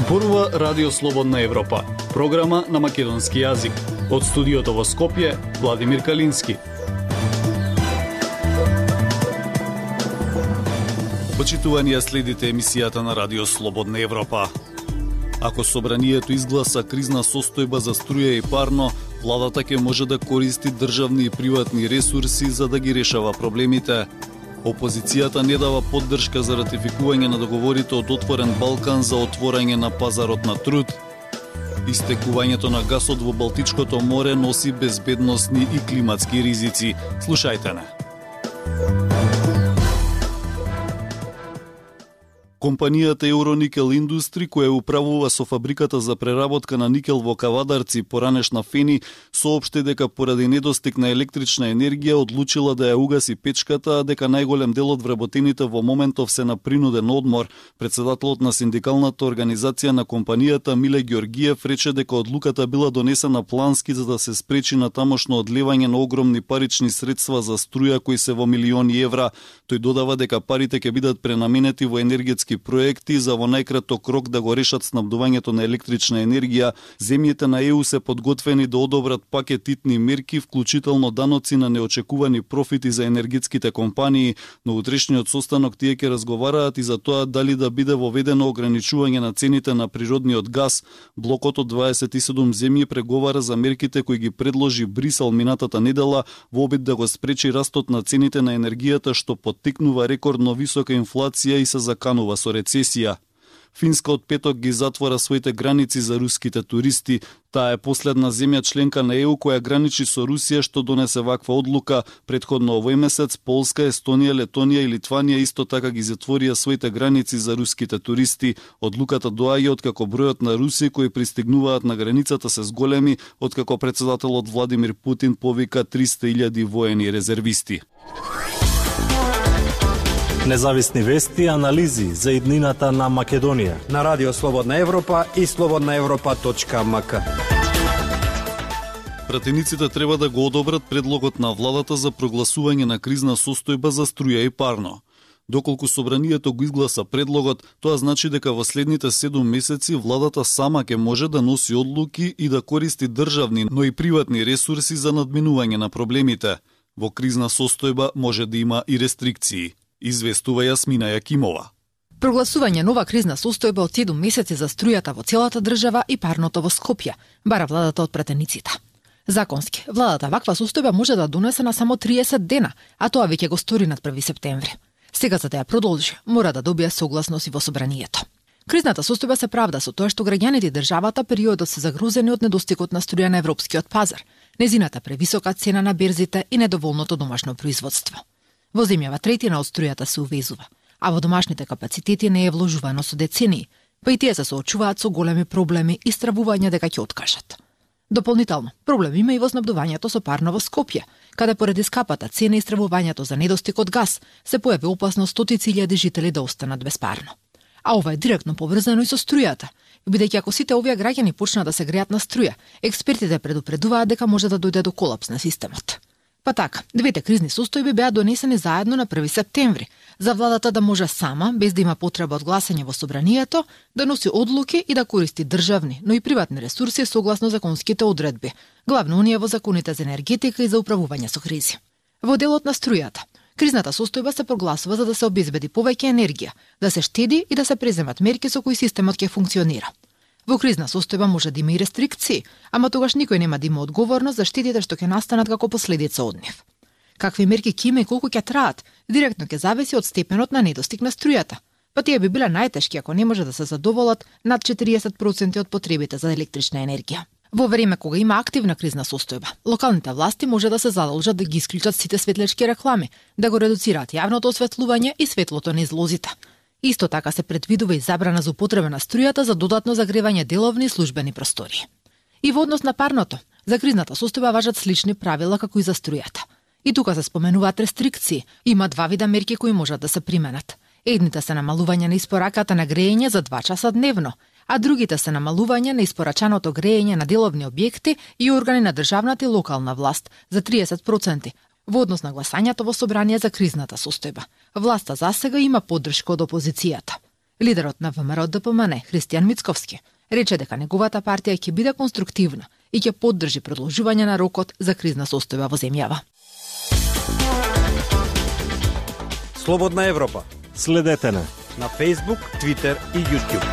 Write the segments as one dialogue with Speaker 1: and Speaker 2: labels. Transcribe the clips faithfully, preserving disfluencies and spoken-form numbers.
Speaker 1: Зборува Радио Слободна Европа, програма на македонски јазик. Од студиото во Скопје, Владимир Калински. Почитувани, следите емисијата на Радио Слободна Европа. Ако собранието изгласа кризна состојба за струја и парно, владата ќе може да користи државни и приватни ресурси за да ги решава проблемите. Опозицијата не дава поддршка за ратификување на договорите од Отворен Балкан за отворање на пазарот на труд. Истекувањето на гасот во Балтичкото море носи безбедносни и климатски ризици. Слушајте не. Компанијата Euronickel Industry, која управува со фабриката за преработка на никел во Кавадарци, поранешна Фени, соопшти дека поради недостиг на електрична енергија одлучила да ја угаси печката, а дека најголем дел од вработените во моментов се на принуден одмор. Председателот на синдикалната организација на компанијата Миле Ѓоргиев рече дека одлуката била донесена плански за да се спречи на тамошно одлевање на огромни парични средства за струја кои се во милиони евра. Тој додава дека парите ќе бидат пренаменети во енергетски проекти за во најкраток рок да го решат снабдувањето на електрична енергија. Земјите на Е У се подготвени да одобрат пакет итни мерки, вклучително даноци на неочекувани профити за енергетските компании. На утрешниот состанок тие ќе разговараат и за тоа дали да биде воведено ограничување на цените на природниот газ. Блокот од дваесет и седум земји преговара за мерките кои ги предложи Брисел минатата недела во обид да го спречи растот на цените на енергијата, што поттикнува рекордно висока инфлација и се заканува со рецесија. Финска од петок ги затвора своите граници за руските туристи. Таа е последна земја членка на Е У која граничи со Русија што донесе ваква одлука. Претходно овој месец Полска, Естонија, Летонија и Литванија исто така ги затворија своите граници за руските туристи. Одлуката доаѓа откако бројот на руси кои пристигнуваат на границата се зголеми, откако председателот Владимир Путин повика триста илјади воени резервисти.
Speaker 2: Независни вести и анализи за иднината на Македонија
Speaker 3: на Радио Слободна Европа и слободна европа точка ем ка.
Speaker 1: Пратениците треба да го одобрат предлогот на владата за прогласување на кризна состојба за струја и парно. Доколку собранието го изгласа предлогот, тоа значи дека во следните седум месеци владата сама ќе може да носи одлуки и да користи државни, но и приватни ресурси за надминување на проблемите. Во кризна состојба може да има и рестрикции. Известува Јасмина Јакимова.
Speaker 4: Прогласување нова кризна состојба од седум месеци за струјата во целата држава и парното во Скопје, бара владата од пратениците. Законски, владата ваква состојба може да донесе на само триесет дена, а тоа веќе го стори над први септември. Сега за да ја продолжи, мора да добие согласност и во собранието. Кризната состојба се правда со тоа што граѓаните и државата периодот се загрузени од недостигот на струја на европскиот пазар, незината превисока цена на берзите и недоволното домашно производство. Во земјава третина од струјата се увезува, а во домашните капацитети не е вложувано со децении, па и тие се соочуваат со големи проблеми и стравување дека ќе откажат. Дополнително, проблем има и во снабдувањето со парно во Скопје, каде поради скапата цена и стравувањето за недостиг од газ се појави опасност стотици илјади жители да останат без парно. А ова е директно поврзано и со струјата, бидејќи ако сите овие граѓани почнат да се греат на струја, експертите предупредуваат дека може да дојде до колапс на системот. Па така, двете кризни состојби беа донесени заедно на први септември, за владата да може сама, без да има потреба од гласање во собранието, да носи одлуки и да користи државни, но и приватни ресурси согласно законските одредби, главно оние во законите за енергетика и за управување со кризи. Во делот на струјата, кризната состојба се прогласува за да се обезбеди повеќе енергија, да се штеди и да се преземат мерки со кои системот ќе функционира. Во кризна состојба може да има и рестрикции, ама тогаш никој нема да има одговорност за штетите што ќе настанат како последица од нив. Какви мерки ќе има и колку ќе траат, директно ќе зависи од степенот на недостиг на струјата. Па тие би биле најтешки ако не може да се задоволат над четириесет проценти од потребите за електрична енергија. Во време кога има активна кризна состојба, локалните власти може да се задолжат да ги исклучат сите светлечки реклами, да го редуцираат јавното осветлување и светлото на излозите. Исто така се предвидува и забрана за употреба на струјата за додатно загревање деловни и службени простори. И во однос на парното, за кризната состојба важат слични правила како и за струјата. И тука се споменуваат рестрикции. Има два вида мерки кои можат да се применат. Едните се намалување на испораката на грејење за два часа дневно, а другите се намалување на испорачаното грејење на деловни објекти и органи на државната и локална власт за триесет проценти, во однос на гласањето во собрание за кризната состојба. Власта засега има поддршка од опозицијата. Лидерот на ВМРО Д П М Н, Христијан Мицковски, рече дека неговата партија ќе биде конструктивна и ќе поддржи продолжување на рокот за кризна состојба во земјава.
Speaker 3: Слободна Европа.
Speaker 2: Следете на
Speaker 3: на Facebook, Twitter и YouTube.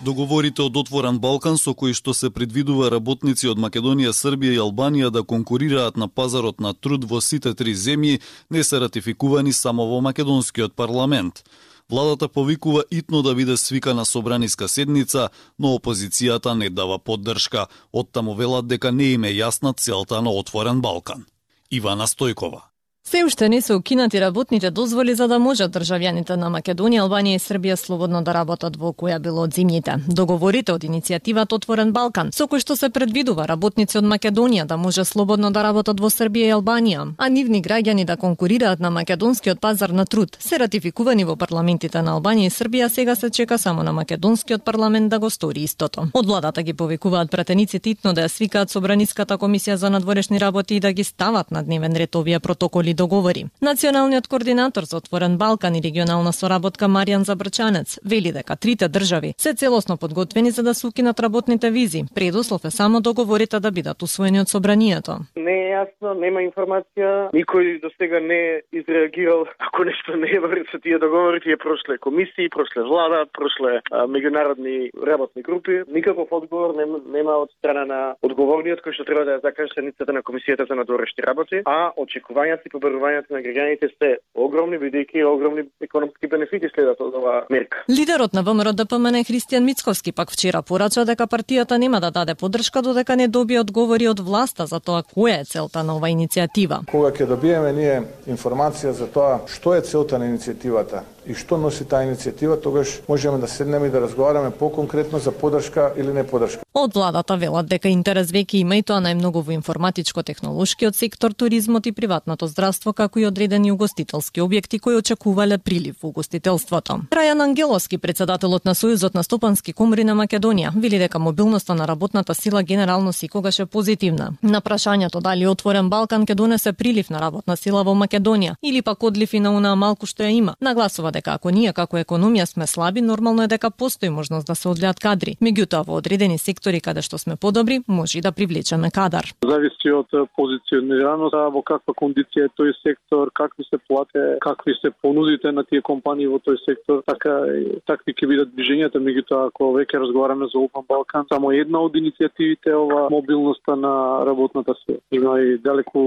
Speaker 1: Договорите од Отворен Балкан со кои што се предвидува работници од Македонија, Србија и Албанија да конкурираат на пазарот на труд во сите три земји не се ратификувани само во македонскиот парламент. Владата повикува итно да биде свикана собраниска седница, но опозицијата не дава поддршка. Оттаму велат дека не им е јасна целта на Отворен Балкан. Ивана Стојкова.
Speaker 5: Се уште не се укинати работните дозволи за да можат државјаните на Македонија, Албанија и Србија слободно да работат во која било од земјите. Договорите од иницијативата Отворен Балкан, со кој што се предвидува работници од Македонија да може слободно да работат во Србија и Албанија, а нивни граѓани да конкурираат на македонскиот пазар на труд, се ратификувани во парламентите на Албанија и Србија, сега се чека само на македонскиот парламент да го стори истото. Од владата ги повикуваат пратениците итно да ја свикаат собраниската комисија за надворешни работи и да ги стават на дневен ред овие протоколи договори. Националниот координатор за Отворен Балкан и регионална соработка Маријан Забрчанец вели дека трите држави се целосно подготвени за да се укинат работните визи. Предуслов е само договорите да бидат усвоени од собранието.
Speaker 6: Не е јасно, нема информација, никој до сега не е изреагирал ако нешто не е вред со тие договори, тие прошле комисии, прошле влада, прошле а, меѓународни работни групи. Никаков одговор нема, нема од страна на одговорниот кој што треба да ја закаже седницата на комисијата за надворешни работи, а очекувањата и побарувањата на граѓаните се огромни, бидејќи огромни економски бенефити следат од оваа мерка.
Speaker 5: Лидерот на ВМРО Д П М Н Христијан Мицковски пак вчера порача дека партијата нема да даде поддршка додека не добие одговори од власта за тоа која е целта на оваа иницијатива.
Speaker 7: Кога ќе добиеме ние информација за тоа што е целта на иницијативата и што носи таа иницијатива, тогаш можеме да седнеме и да разговараме поконкретно за поддршка или не поддршка.
Speaker 5: Од владата велат дека интерес веќе има и тоа најмногу во информатичко-технолошкиот сектор, туризмот и приватното здравство, како и одредени угостителски објекти кои очекувале прилив во угостителството. Трајан Ангеловски, председателот на Сојузот на стопански комори на Македонија, вели дека мобилноста на работната сила генерално секогаш е позитивна. На прашањето дали Отворен Балкан ќе донесе прилив на работна сила во Македонија или пак одлив и на онаа малку што ја има, нагласува дека ако ние како економија сме слаби, нормално е дека постои можност да се одлеат кадри. Меѓутоа во одредени сектори каде што сме подобри, може и да привлечеме кадар.
Speaker 8: Зависи од позиционираноста, во каква кондиција е тој сектор, какви се плате, какви се понудите на тие компании во тој сектор, така такви ќе бидат движењата. Меѓутоа, ако веќе разговараме за Отворен Балкан, само една од иницијативите е ова мобилноста на работната сила. Има и далеку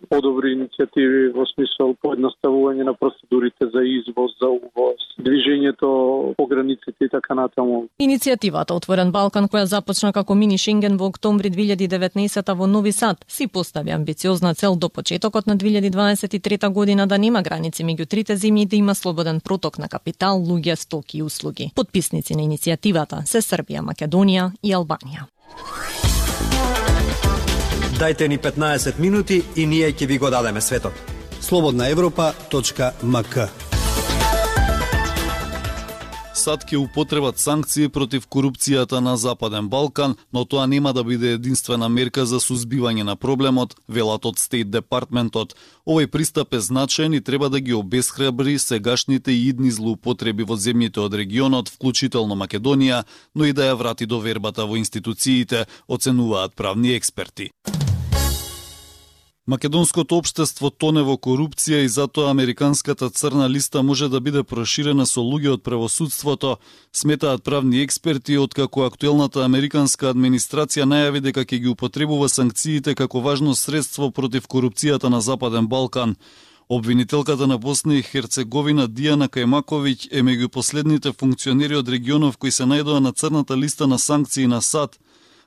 Speaker 8: подобри иницијативи во смисол поедноставување на процедурите за извоз, за увоз, движењето по границите и така натаму.
Speaker 5: Иницијативата Отворен Балкан, која започна како мини Шенген во октомври две илјади и деветнаесета во Нови Сад, си постави амбициозна цел до почетокот на две илјади дваесет и трета година да нема граници меѓу трите земји и да има слободен проток на капитал, луѓе, стоки и услуги. Потписници на иницијативата се Србија, Македонија и Албанија.
Speaker 3: Дајте ни петнаесет минути и ние ќе ви го дадеме светот.
Speaker 9: слободна европа точка м к.
Speaker 1: САД ќе употребат санкции против корупцијата на Западен Балкан, но тоа нема да биде единствена мерка за сузбивање на проблемот, велат од Стейт Департментот. Овој пристап е значаен и треба да ги обесхрабри сегашните и идни злоупотреби во земјите од регионот, вклучително Македонија, но и да ја врати довербата во институциите, оценуваат правни експерти. Македонското општество тоне во корупција и затоа американската црна листа може да биде проширена со луѓе од правосудството, сметаат правни експерти, откако актуелната американска администрација најави дека ќе ги употребува санкциите како важно средство против корупцијата на Западен Балкан. Обвинителката на Босна и Херцеговина Дијана Кајмаковиќ е меѓу последните функционери од регионов кои се најдоа на црната листа на санкции на САД.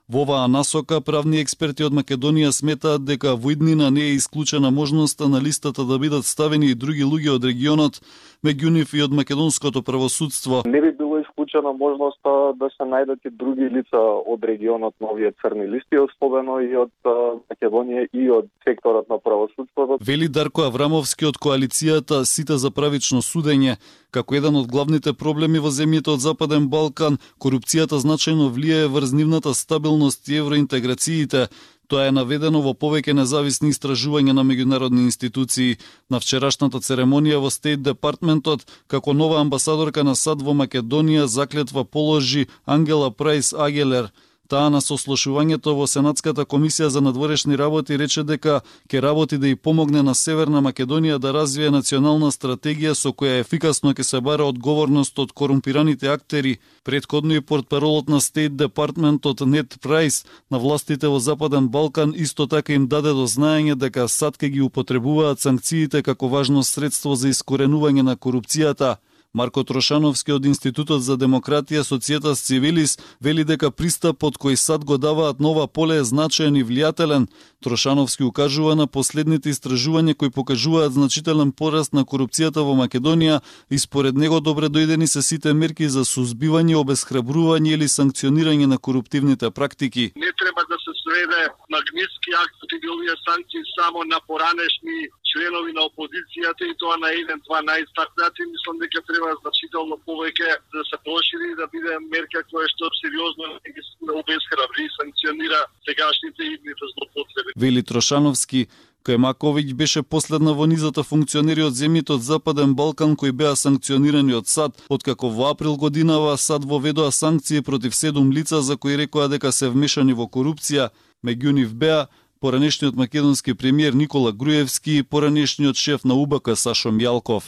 Speaker 1: Во оваа насока, правни експерти од Македонија сметаат дека во иднина не е исклучена можноста на листата да бидат ставени и други луѓе од регионот, меѓу нив и од македонското правосудство.
Speaker 6: Не би било исклучена можноста да се најдат и други лица од регионот на овие црни листи, особено и од Македонија и од секторот на правосудството.
Speaker 1: Вели Дарко Аврамовски од коалицијата Сите за правично судење. Како еден од главните проблеми во земјите од Западен Балкан, корупцијата значајно влијае врз нивната стабилност и евроинтеграциите. Тоа е наведено во повеќе независни истражувања на меѓународни институции. На вчерашната церемонија во Стейт Департментот, како нова амбасадорка на САД во Македонија, заклетва положи Ангела Прайс Агелер. Таа на сослушувањето во Сенатската комисија за надворешни работи рече дека ќе работи да и помогне на Северна Македонија да развие национална стратегија со која ефикасно ќе се бара одговорност од корумпираните актери. Претходно и портпаролот на Стейт Департментот Нет Прайс на властите во Западен Балкан исто така им даде до знаење дека САД ќе ги употребуваат санкциите како важно средство за искоренување на корупцијата. Марко Трошановски од Институтот за демократија Societas Civilis вели дека пристапот кој САД го даваат нова поле е значаен и влијателен. Трошановски укажува на последните истражувања кои покажуваат значителен пораст на корупцијата во Македонија и според него добре дојдени се сите мерки за сузбивање, обесхрабрување или санкционирање на коруптивните практики.
Speaker 10: Не треба да се сведе магнитски акт или овие санкции само на поранешни членови на опозицијата и тоа на еден-два најистакнати. Мислам дека треба значително повеќе да се прошири и да биде мерка која што сериозно ги обесхрабри и санкционира сегашните и идните злоупотреби.
Speaker 1: Вели Трошановски, Кајмаковиќ беше последна во низата функционери од земјите од Западен Балкан кои беа санкционирани од САД, откако во април годинава САД воведоа санкции против седум лица за кои рекоа дека се вмешани во корупција. Меѓу нив беа поранешниот македонски премиер Никола Груевски и поранешниот шеф на УБК Сашо Мјалков.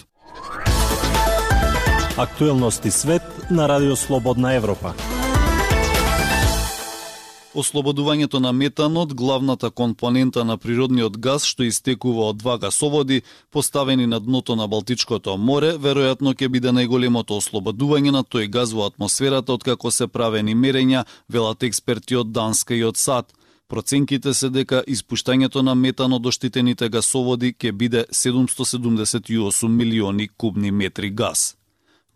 Speaker 2: Актуелности свет на Радио Слободна Европа.
Speaker 1: Ослободувањето на метанот, главната компонента на природниот газ што истекува од два гасоводи, поставени на дното на Балтичкото море, веројатно ќе биде најголемото ослободување на тој газ во атмосферата откако се правени мерења, велат експерти од Данска и од САД. Проценките се дека испуштањето на метан од оштитените гасоводи ќе биде седумсто седумдесет и осум милиони кубни метри газ.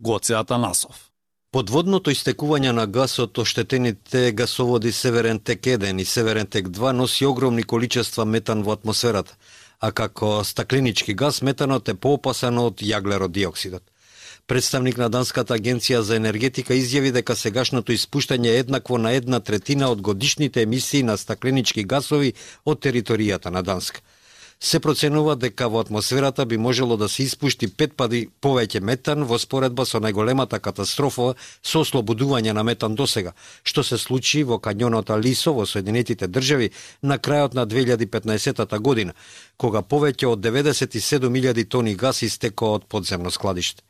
Speaker 1: Гоце Атанасов.
Speaker 3: Подводното истекување на газ од оштетените гасоводи Северен тек еден и Северен тек два носи огромни количества метан во атмосферата, а како стакленички газ метанот е поопасен од јаглеродиоксидот. Представник на Данската агенција за енергетика изјави дека сегашното испуштање е еднакво на една третина од годишните емисии на стакленички гасови од територијата на Данска. Се проценува дека во атмосферата би можело да се испушти пет пати повеќе метан во споредба со најголемата катастрофа со ослободување на метан досега, што се случи во кањонот Алисо во Соединетите држави на крајот на две илјади и петнаесетта година, кога повеќе од деветдесет и седум илјади тони газ истекоа од подземно складиште.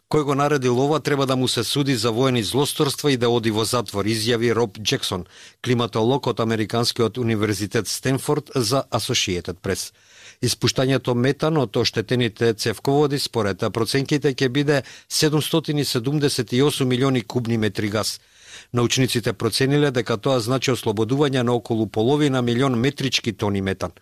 Speaker 3: Кој го наредил ова треба да му се суди за воени злосторства и да оди во затвор, изјави Роб Джексон, климатолог од Американскиот универзитет Стенфорд за Associated Press. Испуштањето метан од оштетените цевководи според проценките ќе биде седумстотини седумдесет и осум милиони кубни метри газ. Научниците процениле дека тоа значи ослободување на околу половина милион метрички тони метан.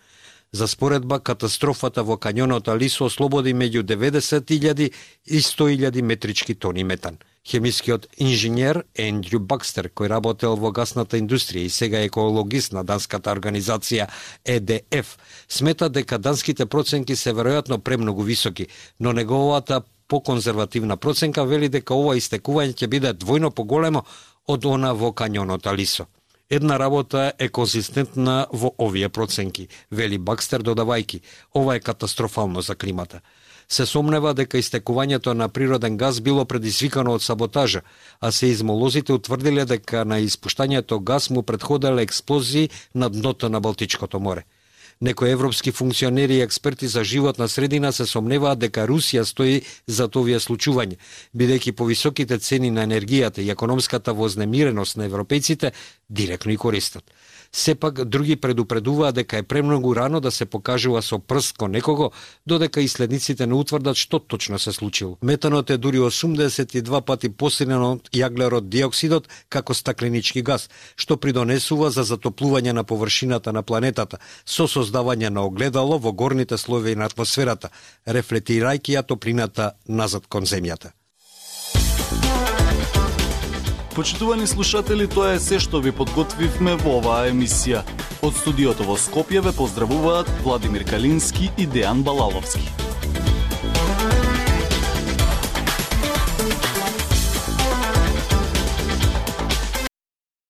Speaker 3: За споредба, катастрофата во кањонот Алисо ослободи меѓу деветдесет илјади и сто илјади метрички тони метан. Хемискиот инженер Ендрю Бакстер, кој работел во гасната индустрија и сега е екологист на данската организација Е Д Ф, смета дека данските проценки се веројатно премногу високи, но неговата поконзервативна проценка вели дека ова истекување ќе биде двојно поголемо од она во кањонот Алисо. Една работа е конзистентна во овие проценки, вели Бакстер додавајки, ова е катастрофално за климата. Се сомнева дека истекувањето на природен газ било предизвикано од саботажа, а сеизмолозите утврдиле дека на испуштањето газ му претходеле експлозии на дното на Балтичкото море. Некои европски функционери и експерти за животна средина се сомневаат дека Русија стои за овие случување, бидејќи повисоките цени на енергијата и економската вознемиреност на европејците директно и користат. Сепак, други предупредуваат дека е премногу рано да се покажува со прст кон некого, додека исследниците не утврдат што точно се случило. Метанот е дури осумдесет и два пати посилен од јаглерод диоксидот како стакленички газ, што придонесува за затоплување на површината на планетата, со создавање на огледало во горните слоеви на атмосферата, рефлектирајќи ја топлината назад кон земјата.
Speaker 1: Почитувани слушатели, тоа е се што ви подготвивме во оваа емисија. Од студиото во Скопје ве поздравуваат Владимир Калински и Дејан Балаловски.